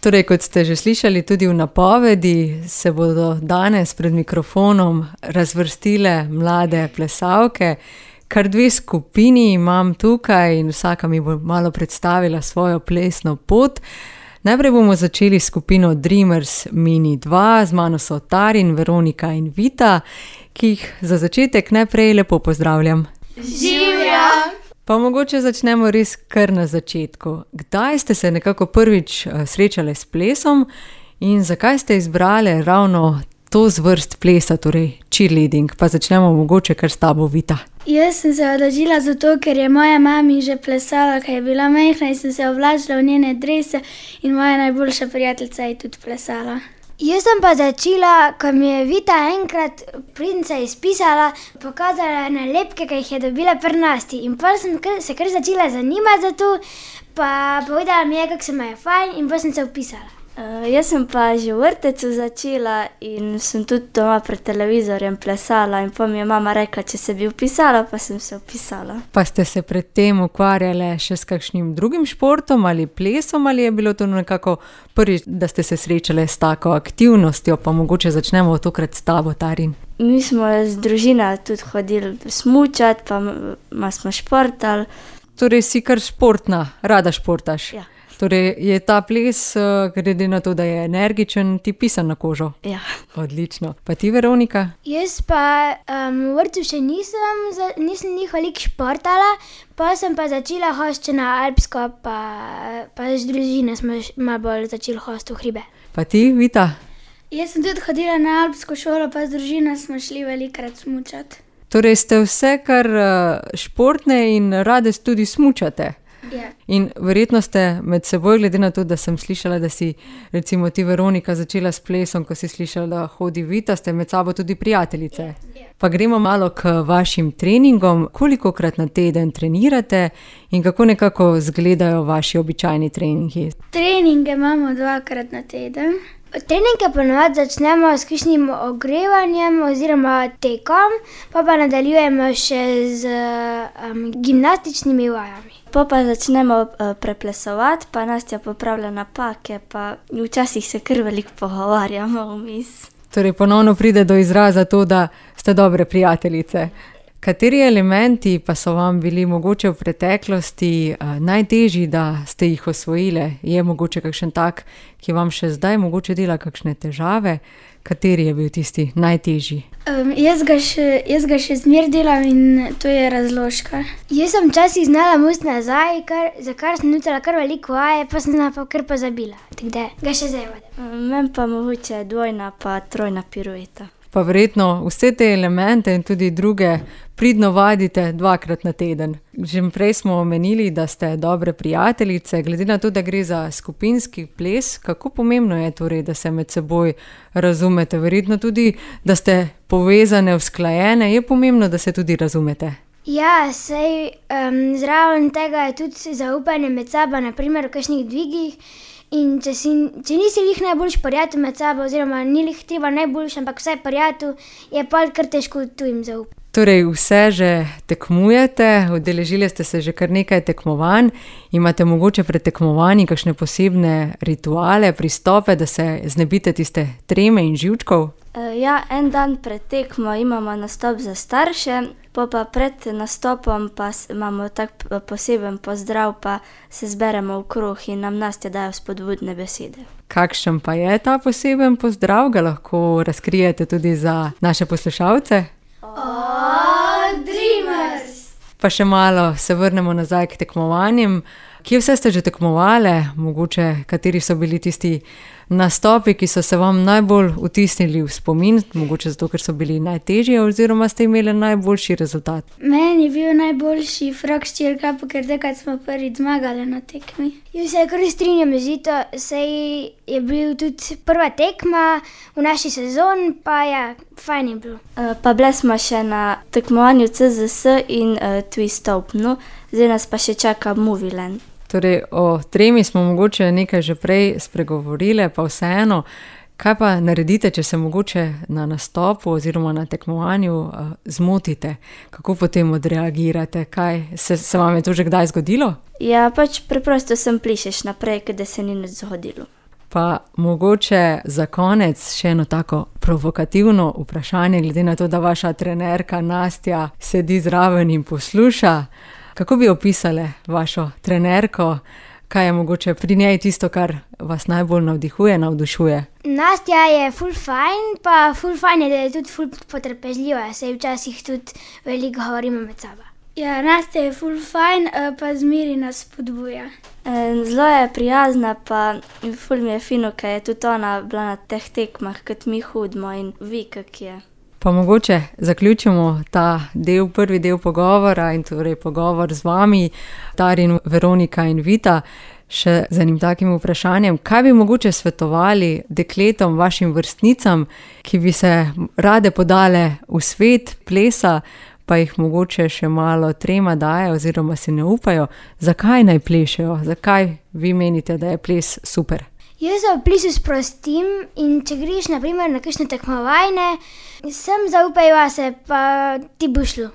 Torej, kot ste že slišali tudi v napovedi, se bodo danes pred mikrofonom razvrstile mlade plesalke. Kar 2 skupini imam tukaj in vsaka mi bo malo predstavila svojo plesno pot. Najprej bomo začeli s skupino Dreamers Mini 2, z mano so Tarin, Veronika in Vita, ki jih za začetek najprej lepo pozdravljam. Živjo! Pa mogoče začnemo res kar na začetku. Kdaj ste se nekako prvič srečali s plesom in zakaj ste izbrali ravno to zvrst plesa, torej cheerleading? Pa začnemo mogoče kar s tabo, Vita. Jaz sem se odločila zato, ker je moja mami že plesala, ko je bila majhna in sem se oblačila v njene drese in moja najboljša prijateljica je tudi plesala. Jaz sem pa začela, ko mi je Vita enkrat pridnica izpisala, pokazala nalepke, ki jih je dobila pri Nasti. In potem sem se kar začela zanimati za to, pa povedala mi je, kako se mi je fajn in potem sem se vpisala. Jaz sem pa že v vrtcu začela in sem tudi doma pred televizorjem plesala in potem mi je mama rekla, če se bi vpisala, pa sem se vpisala. Pa ste se predtem ukvarjali še s kakšnim drugim športom ali plesom ali je bilo to nekako prvič, da ste se srečali s tako aktivnostjo? Pa mogoče začnemo tokrat s tabo, Tarin. Mi smo z družino tudi hodili smučati, pa smo športali. Torej si kar športna, rada športaš? Ja. Torej je ta ples, glede na to, da je energičen, ti pisan na kožo? Ja. Odlično. Pa ti, Veronika? Jaz pa v vrtcu še nisem veliko športala, pa sem pa začela hoditi na alpsko, pa z družine smo malo bolj začeli hoditi v hribe. Pa ti, Vita? Jaz sem tudi hodila na alpsko šolo, pa z družino smo šli velikokrat smučati. Torej ste vse kar športne in rade tudi smučate? Ja. In verjetno ste med seboj, glede na to, da sem slišala, da si recimo ti, Veronika, začela s plesom, ko si slišala, da hodi Vita, ste med sabo tudi prijateljice. Pa gremo malo k vašim treningom. Kolikokrat na teden trenirate in kako nekako izgledajo vaši običajni treningi? Treninge imamo 2-krat na teden. Treninge ponovadi začnemo s kakšnim ogrevanjem oziroma tekom, pa nadaljujemo še z gimnastičnimi vajami. Pa začnemo preplesovati, pa Nastja popravlja napake, pa včasih se kar veliko pogovarjamo vmes. Torej ponovno pride do izraza to, da ste dobre prijateljice. Kateri elementi pa so vam bili mogoče v preteklosti najtežji, da ste jih osvojile? Je mogoče kakšen tak, ki vam še zdaj mogoče dela kakšne težave? Kateri je bil tisti najtežji? Jaz ga še zmeraj delam in to je razložka. Jaz sem včasih znala musti nazaj, za kar sem nutila kar veliko vaje, pa sem pa kar pozabila. Tako da ga še zdaj vodim. Meni pa mogoče 2 pa 3 pirueta. Pa verjetno vse te elemente in tudi druge pridno vadite 2-krat na teden. Že prej smo omenili, da ste dobre prijateljice. Glede na to, da gre za skupinski ples, kako pomembno je torej, da se med seboj razumete? Verjetno tudi, da ste povezane, usklajene. Je pomembno, da se tudi razumete? Ja, saj zraven tega je tudi zaupanje med sabo, na primer v kakšnih dvigih. In če nisi lih najboljši prijatelj med sabo, oziroma ni lih treba najboljši, ampak vsaj prijatelj, je pa kar težko tujim zaupati. Torej vse že tekmujete, udeležili ste se že kar nekaj tekmovanj, imate mogoče pred tekmovanji kakšne posebne rituale, pristope, da se znebite tiste treme in živčkov? Ja, en dan pred tekmo imamo nastop za starše, pa pred nastopom pa imamo tak poseben pozdrav, pa se zberemo v krog in nam Nastja dajo spodbudne besede. Kakšen pa je ta poseben pozdrav? Ga lahko razkrijete tudi za naše poslušalce? Dreamers! Pa še malo se vrnemo nazaj k tekmovanjem. Kje vse ste že tekmovali? Mogoče kateri so bili tisti nastopi, ki so se vam najbolj vtisnili v spomin, mogoče zato, ker so bili najtežji oziroma ste imeli najboljši rezultat? Meni je bil najboljši frog s cheercupu, ker takrat smo prvič zmagali na tekmi. Jaz se kar strinjam z Vito, saj je bil tudi prva tekma v naši sezoni, pa ja, fajn je bilo. Pa bili smo še na tekmovanju CZS in Twist Open, zdaj nas pa še čaka Movieland. Torej, o tremi smo mogoče nekaj že prej spregovorili, pa vseeno, kaj pa naredite, če se mogoče na nastopu oziroma na tekmovanju zmotite? Kako potem odreagirate? Se vam je to že kdaj zgodilo? Ja, pač preprosto sem plišeš naprej, da se ni nič zgodilo. Pa mogoče za konec še eno tako provokativno vprašanje, glede na to, da vaša trenerka Nastja sedi zraven in posluša. Kako bi opisali vašo trenerko? Kaj je mogoče pri njej tisto, kar vas najbolj navdušuje? Nastja je ful fajn, pa ful fajn je, da je tudi ful potrpežljiva, saj včasih tudi veliko govorimo med sabo. Ja, Nastja je ful fajn, pa zmeri nas spodbuja. Zelo je prijazna, pa ful mi je fino, ker je tudi ona bila na teh tekmah, kot mi hodimo in ve, kak je. Pa mogoče zaključimo ta prvi del pogovora in torej pogovor z vami, Tarin, Veronika in Vita, še z enim takim vprašanjem. Kaj bi mogoče svetovali dekletom, vašim vrstnicam, ki bi se rade podale v svet plesa, pa jih mogoče še malo trema daje oziroma si ne upajo? Zakaj naj plešejo? Zakaj vi menite, da je ples super? Jaz se v plesu sprostim in če greš na primer na kakšne tekmovanje, sem zaupaj vase, pa ti bo šlo.